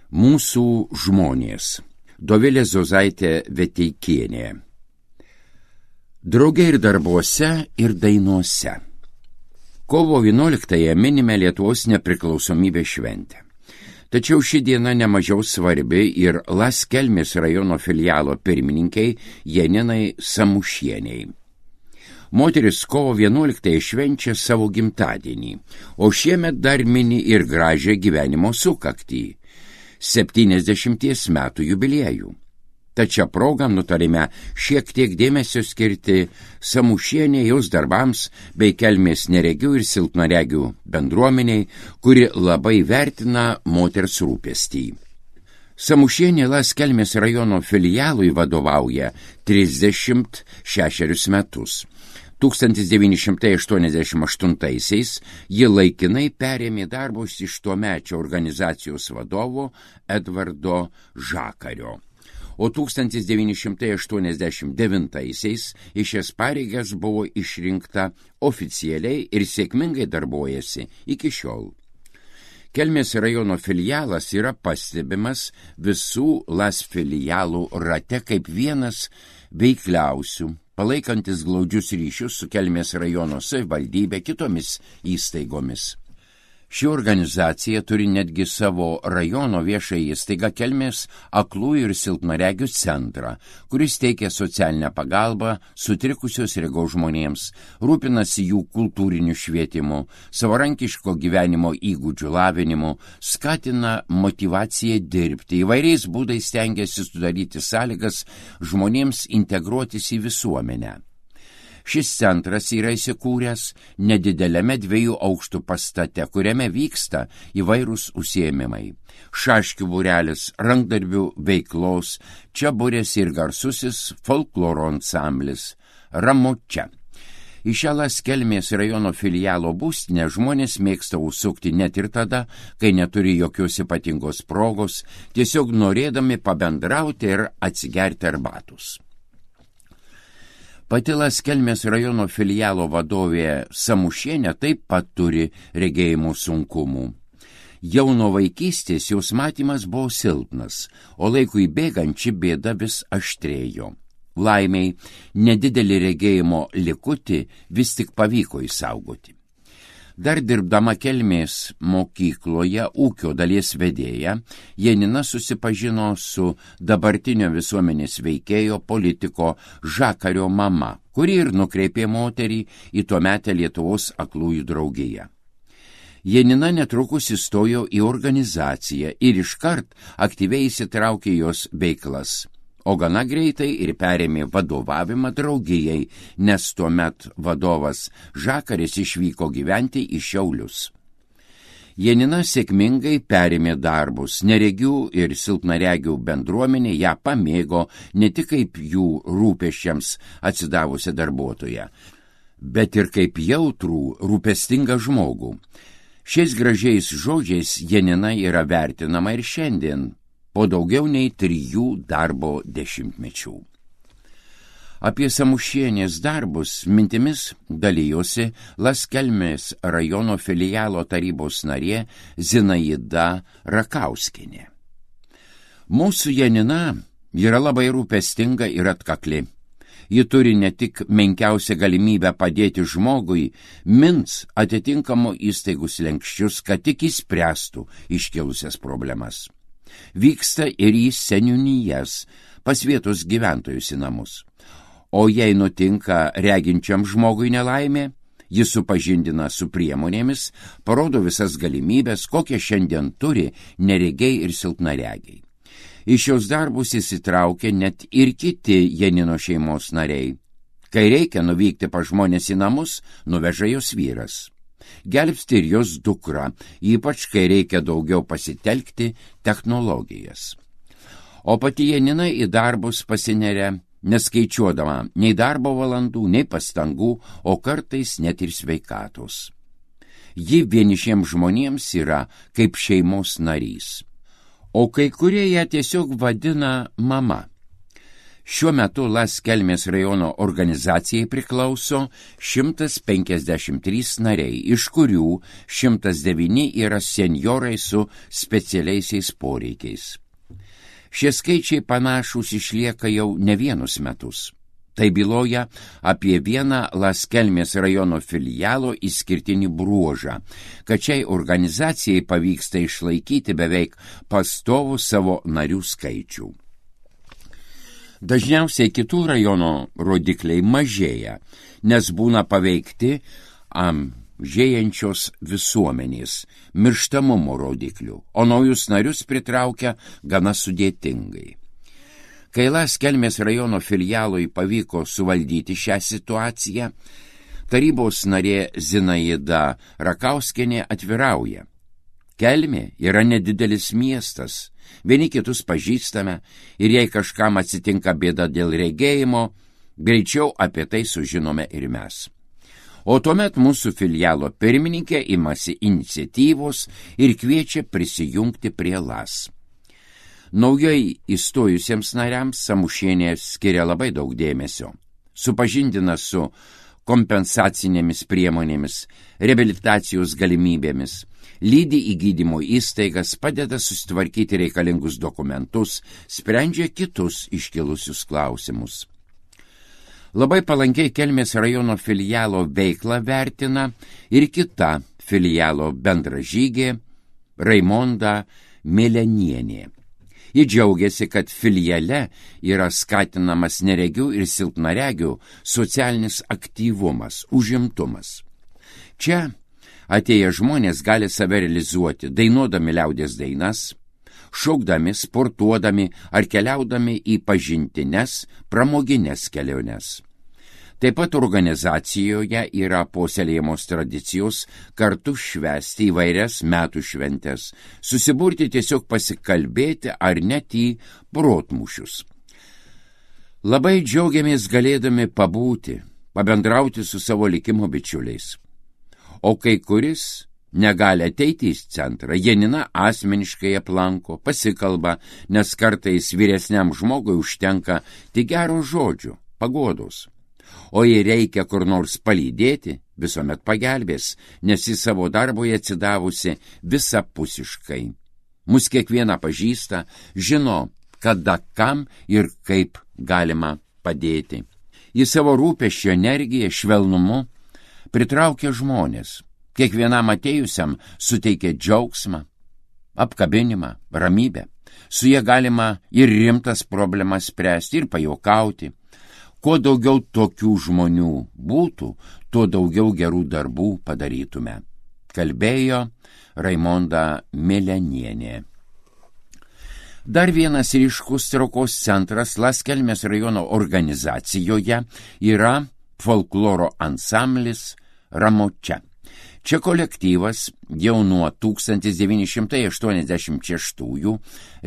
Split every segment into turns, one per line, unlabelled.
Mūsų žmonės. Dovilė Zozaitė Veteikienė. Drauge ir darbuose, ir dainuose. Kovo 11-ąją minime Lietuvos nepriklausomybės šventę. Tačiau ši diena nemažiau svarbi ir Las Kelmės rajono filialo pirmininkiai Janinai Samušieniai. Moteris kovo 11-ąją švenčia savo gimtadienį, o šiemet dar mini ir gražią gyvenimo sukaktį – 70 metų jubiliejų. Tačiau progą nutarėme šiek tiek dėmesio skirti Samušienė jos darbams bei Kelmės neregių ir silpnaregių bendruomeniai, kuri labai vertina moters rūpestį. Samušienė Las Kelmės rajono filialui vadovauja 36 metus. 1988-aisiais ji laikinai perėmė darbus iš tuomečio organizacijos vadovo Edvardo Žakario. O 1989-aisiais į šias pareigas buvo išrinkta oficialiai ir sėkmingai darbuojasi iki šiol. Kelmės rajono filialas yra pastebimas visų Las filialų rate kaip vienas veikliausių, palaikantis glaudžius ryšius su Kelmės rajono savivaldybe kitomis įstaigomis. Ši organizacija turi netgi savo rajono viešąją įstaigą Kelmės aklųjų ir silpnaregių centrą, kuris teikia socialinę pagalbą sutrikusios regos žmonėms, rūpinasi jų kultūriniu švietimu, savarankiško gyvenimo įgūdžių lavinimu, skatina motyvaciją dirbti, įvairiais būdais stengiasi sudaryti sąlygas žmonėms integruotis į visuomenę. Šis centras yra įsikūręs nedideliame 2 aukštų pastate, kuriame vyksta įvairūs užsiėmimai. Šaškių būrelis, rankdarbių veiklos, čia būrėsi ir garsusis folkloro ansamblis Ramučia. Į šią Las Kelmės rajono filialo būstinę žmonės mėgsta užsukti net ir tada, kai neturi jokios ypatingos progos, tiesiog norėdami pabendrauti ir atsigerti arbatos. Pati Las Kelmės rajono filialo vadovė Samušienė taip pat turi regėjimo sunkumų. Jau nuo vaikystės jos matymas buvo silpnas, o laikui bėgant ši bėda vis aštrėjo. Laimiai, nedidelį regėjimo likutį vis tik pavyko išsaugoti. Dar dirbdama Kelmės mokykloje ūkio dalies vedėja, Janina susipažino su dabartinio visuomenės veikėjo politiko Žakario mama, kuri ir nukreipė moterį į tuometę Lietuvos aklųjų draugiją. Janina netrukus įstojo į organizaciją ir iškart aktyviai įsitraukė jos veiklas, o gana greitai ir perėmė vadovavimą draugijai, nes tuomet vadovas Žakaris išvyko gyventi į Šiaulius. Janina sėkmingai perėmė darbus, neregių ir silpnaregių bendruomenė ją pamėgo ne tik kaip jų rūpesčiams atsidavusią darbuotoją, bet ir kaip jautrų, rūpestingą žmogų. Šiais gražiais žodžiais Janina yra vertinama ir šiandien, po daugiau nei 3 darbo dešimtmečių. Apie Samušienės darbus mintimis dalijosi Las Kelmės rajono filialo tarybos narė Zinaida Rakauskienė. Mūsų Janina yra labai rūpestinga ir atkakli. Ji turi ne tik menkiausią galimybę padėti žmogui, mins atitinkamo įstaigų slenksčius, kad tik išspręstų iškilusias problemas. Vyksta ir į seniūnijas, pas vietos gyventojus į namus. O jei nutinka reginčiam žmogui nelaimė, jis supažindina su priemonėmis, parodo visas galimybės, kokią šiandien turi neregiai ir silpnaregiai. Į šios darbus įsitraukia net ir kiti Janino šeimos nariai. Kai reikia nuvykti pas žmonės į namus, nuveža jos vyras. Gelbsti ir jos dukra, ypač kai reikia daugiau pasitelkti technologijas. O pati Janina į darbus pasineria, neskaičiuodama nei darbo valandų, nei pastangų, o kartais net ir sveikatos. Ji vienišiems žmonėms yra kaip šeimos narys. O kai kurie ją tiesiog vadina mama. Šiuo metu Las Kelmės rajono organizacijai priklauso 153 nariai, iš kurių 109 yra senjorai su specialiaisiais poreikiais. Šie skaičiai panašūs išlieka jau ne vienus metus. Tai byloja apie vieną Las Kelmės rajono filialo išskirtinį bruožą, kad šiai organizacijai pavyksta išlaikyti beveik pastovų savo narių skaičių. Dažniausiai kitų rajono rodikliai mažėja, nes būna paveikti žėjančios visuomenės, mirštamumo rodiklių, o naujus narius pritraukia gana sudėtingai. Kai Las Kelmės rajono filialui pavyko suvaldyti šią situaciją, tarybos narė Zinaida Rakauskienė atvirauja. Kelmė yra nedidelis miestas, vieni kitus pažįstame ir jei kažkam atsitinka bėda dėl regėjimo, greičiau apie tai sužinome ir mes. O tuomet mūsų filialo pirmininkė imasi iniciatyvos ir kviečia prisijungti prie Las. Naujai įstojusiems nariams Samušienė skiria labai daug dėmesio. Supažindina su kompensacinėmis priemonėmis, reabilitacijos galimybėmis, lydi į gydymo įstaigas, padeda susitvarkyti reikalingus dokumentus, sprendžia kitus iškilusius klausimus. Labai palankiai Kelmės rajono filialo veiklą vertina ir kita filialo bendražygė Raimonda Milenienė. Ji džiaugiasi, kad filiale yra skatinamas neregių ir silpnaregių socialinis aktyvumas, užimtumas. Čia atėję žmonės gali save realizuoti, dainuodami liaudies dainas, šaukdami, sportuodami ar keliaudami į pažintines, pramogines keliones. Taip pat organizacijoje yra puoselėjamos tradicijos kartu švęsti įvairias metų šventes, susiburti tiesiog pasikalbėti ar net į protmūšius. Labai džiaugiamės galėdami pabūti, pabendrauti su savo likimo bičiuliais. O kai kuris negali ateiti į centrą, Janina asmeniškai aplanko, pasikalba, nes kartais vyresniam žmogui užtenka tik gero žodžio, paguodos. O jei reikia kur nors palydėti, visuomet pagelbės, nes į savo darboje atsidavusi visapusiškai. Mus kiekvieną pažįsta, žino, kada, kam ir kaip galima padėti. Į savo rūpesčio energiją, švelnumu pritraukia žmonės. Kiekvienam atėjusiam suteikia džiaugsmą, apkabinimą, ramybę. Su jie galima ir rimtas problemas spręsti, ir pajuokauti. Kuo daugiau tokių žmonių būtų, tuo daugiau gerų darbų padarytume, kalbėjo Raimonda Milenienė. Dar vienas ryškus traukos centras Las Kelmės rajono organizacijoje yra folkloro ansamblis Ramočia. Čia kolektyvas jau nuo 1986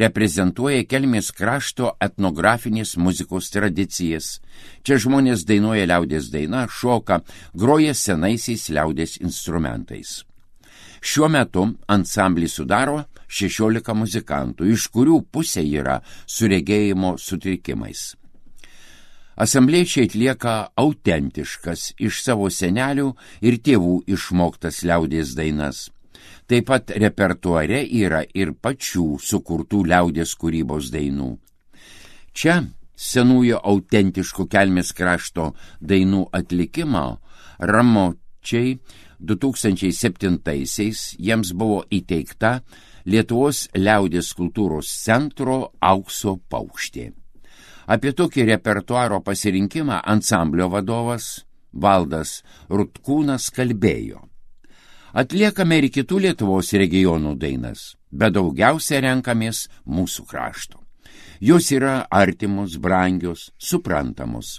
reprezentuoja Kelmės krašto etnografinės muzikos tradicijas. Čia žmonės dainuoja liaudies dainą, šoka, groja senaisiais liaudies instrumentais. Šiuo metu ansamblį sudaro 16 muzikantų, iš kurių pusė yra su regėjimo sutrikimais. Asambliečiai atlieka autentiškas iš savo senelių ir tėvų išmoktas liaudies dainas. Taip pat repertuare yra ir pačių sukurtų liaudies kūrybos dainų. Čia senųjų autentiškų Kelmės krašto dainų atlikimo Ramočiai 2007-aisiais jiems buvo įteikta Lietuvos liaudies kultūros centro aukso paukštė. Apie tokį repertuaro pasirinkimą ansamblio vadovas Valdas Rutkūnas kalbėjo. Atliekame ir kitų Lietuvos regionų dainas, bet daugiausia renkamės mūsų krašto. Jos yra artimos, brangios, suprantamos.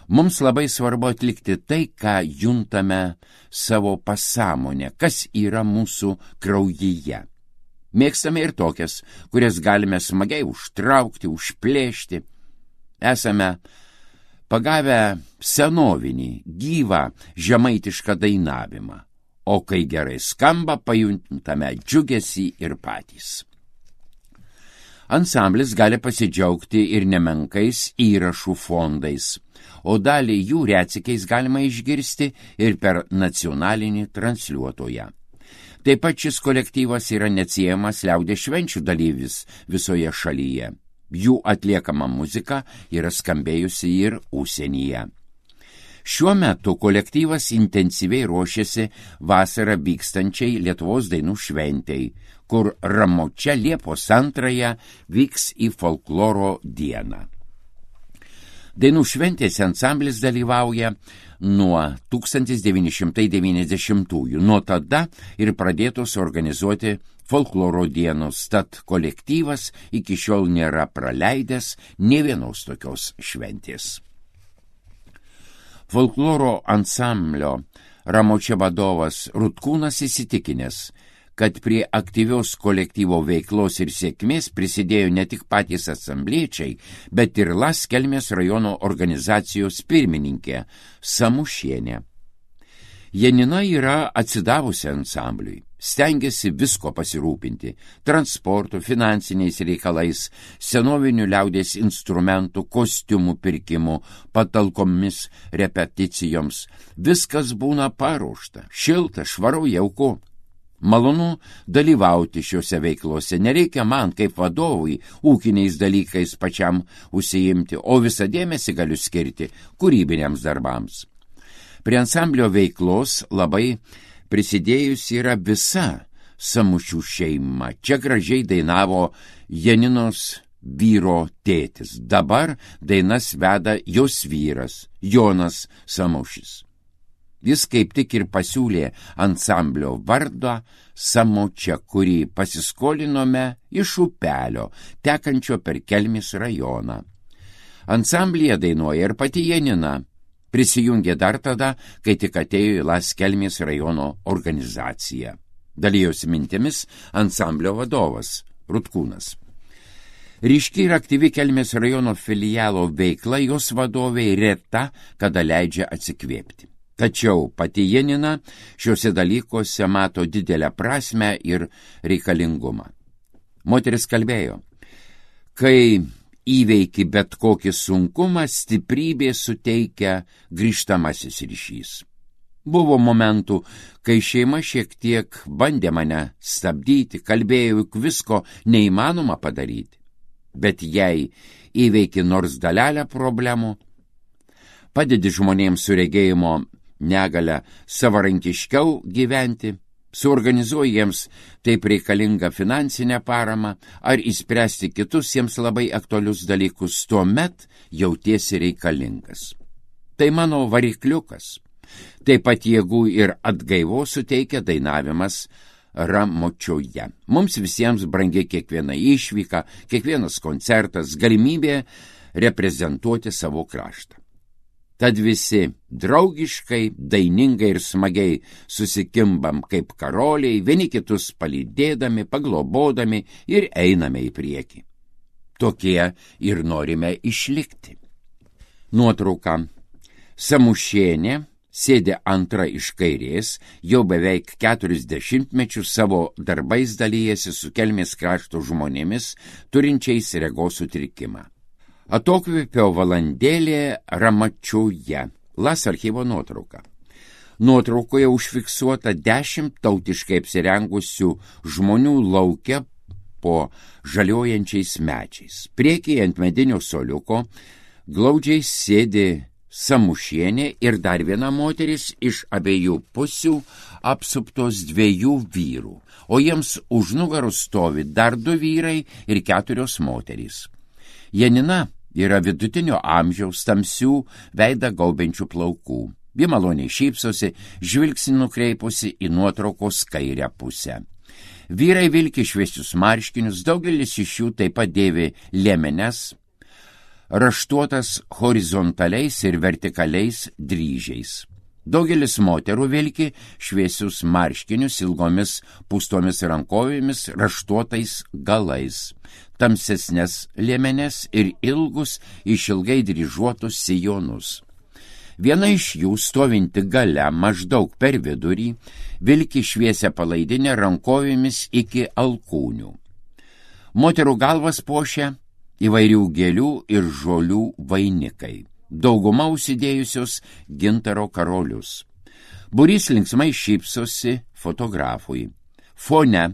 Mums labai svarbu atlikti tai, ką juntame savo pasąmonę, kas yra mūsų kraujyje. Mėgstame ir tokias, kurias galime smagiai užtraukti, užplėšti. Esame pagavę senovinį, gyvą, žemaitišką dainavimą, o kai gerai skamba, pajuntame džiugesį ir patys. Ansamblis gali pasidžiaugti ir nemenkais įrašų fondais, o dalį jų retsykiais galima išgirsti ir per nacionalinį transliuotoją. Taip pat šis kolektyvas yra neatsiejamas liaudies švenčių dalyvis visoje šalyje. Jų atliekama muzika yra skambėjusi ir užsienyje. Šiuo metu kolektyvas intensyviai ruošiasi vasarą vykstančiai Lietuvos dainų šventei, kur Ramočia Liepos 2 vyks į folkloro dieną. Dainų šventėse ansamblis dalyvauja nuo 1990-ųjų. Nuo tada ir pradėtos organizuoti folkloro dienos, tad kolektyvas iki šiol nėra praleidęs nė vienos tokios šventės. Folkloro ansamblio Ramočia vadovas Rutkūnas įsitikinęs, kad prie aktyvios kolektyvo veiklos ir sėkmės prisidėjo ne tik patys asambliečiai, bet ir Las Kelmės rajono organizacijos pirmininkė Samušienė. Janina yra atsidavusi ansambliui, stengiasi visko pasirūpinti – transportu, finansiniais reikalais, senovinių liaudies instrumentų, kostiumų pirkimu, patalkomis, repeticijoms. Viskas būna paruošta, šilta, švaru, jauku. Malonu dalyvauti šiuose veiklose, nereikia man kaip vadovui ūkiniais dalykais pačiam užsiimti, o visą dėmesį galiu skirti kūrybiniams darbams. Prie ansamblio veiklos labai prisidėjusi yra visa Samušių šeima. Čia gražiai dainavo Janinos vyro tėtis. Dabar dainas veda jos vyras, Jonas Samušis. Jis kaip tik ir pasiūlė ansamblio vardą Samočia, kurį pasiskolinome iš upelio, tekančio per Kelmės rajoną. Ansamblyje dainuoja ir pati Janina. Prisijungė dar tada, kai tik atėjo į Las Kelmės rajono organizaciją. Dalijosi mintimis ansamblio vadovas Rutkūnas. Ryški ir aktyvi Kelmės rajono filialo veikla jos vadovei reta, kada leidžia atsikvėpti. Tačiau pati Janina šiuose dalykuose mato didelę prasmę ir reikalingumą. Moteris kalbėjo, kai įveiki bet kokį sunkumą, stiprybė suteikia grįžtamasis ryšys. Buvo momentų, kai šeima šiek tiek bandė mane stabdyti, kalbėjau, juk visko neįmanoma padaryti. Bet jei įveiki nors dalelę problemų, padedi žmonėms su regėjimo negalią savarankiškiau gyventi, suorganizuoji jiems taip reikalingą finansinę paramą ar įspręsti kitus jiems labai aktualius dalykus, tuomet jautiesi reikalingas. Tai mano varikliukas. Taip pat jėgų ir atgaivos suteikia dainavimas Ramočioje. Mums visiems brangi kiekviena išvyka, kiekvienas koncertas, galimybė reprezentuoti savo kraštą. Tad visi draugiškai, dainingai ir smagiai susikimbam kaip karoliai, vieni kitus palydėdami, paglobodami ir einame į priekį. Tokie ir norime išlikti. Nuotrauka. Samušienė sėdi antra iš kairės, jau beveik 40 mečius savo darbais dalyjasi su Kelmės krašto žmonėmis, turinčiais regos sutrikimą. Atokvėpio valandėlė Ramočioje. Las archyvo nuotrauka. Nuotraukoje užfiksuota 10 tautiškai apsirengusių žmonių lauke po žaliojančiais medžiais. Priekyje ant medinio suoliuko glaudžiai sėdi Samušienė ir dar viena moteris iš abiejų pusių apsuptos 2 vyrų, o jiems už nugarų stovi dar 2 vyrai ir 4 moterys. Janina yra vidutinio amžiaus, tamsių veidą gaubiančių plaukų. Ji maloniai šypsosi, žvilgsnį nukreipusi į nuotraukos kairę pusę. Vyrai vilki šviesius marškinius, daugelis iš jų taip pat dėvi liemenes, raštuotas horizontaliais ir vertikaliais dryžiais. Daugelis moterų vilki šviesius marškinius ilgomis pūstomis rankovėmis, raštuotais galais, tamsesnes liemenes ir ilgus išilgai dryžuotus sijonus. Viena iš jų, stovinti gale maždaug per vidurį, vilki šviesią palaidinę rankovėmis iki alkūnių. Moterų galvas puošia įvairių gėlių ir žolių vainikai. Dauguma užsidėjusios gintaro karolius. Būrys linksmai šypsosi fotografui. Fone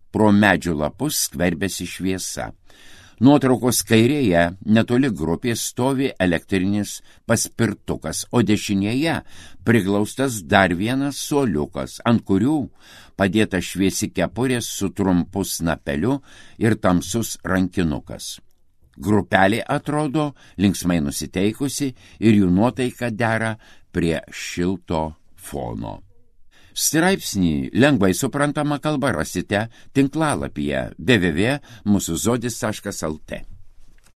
pro medžių lapus skverbiasi šviesa. Nuotraukos kairėje netoli grupės stovi elektrinis paspirtukas, o dešinėje priglaustas dar vienas suoliukas, ant kurių padėta šviesi kepurė su trumpu snapeliu ir tamsus rankinukas. Grupelė atrodo linksmai nusiteikusi ir jų nuotaika dera prie šilto fono. Straipsnį lengvai suprantama kalba rasite tinklalapyje www.musuzodis.lt.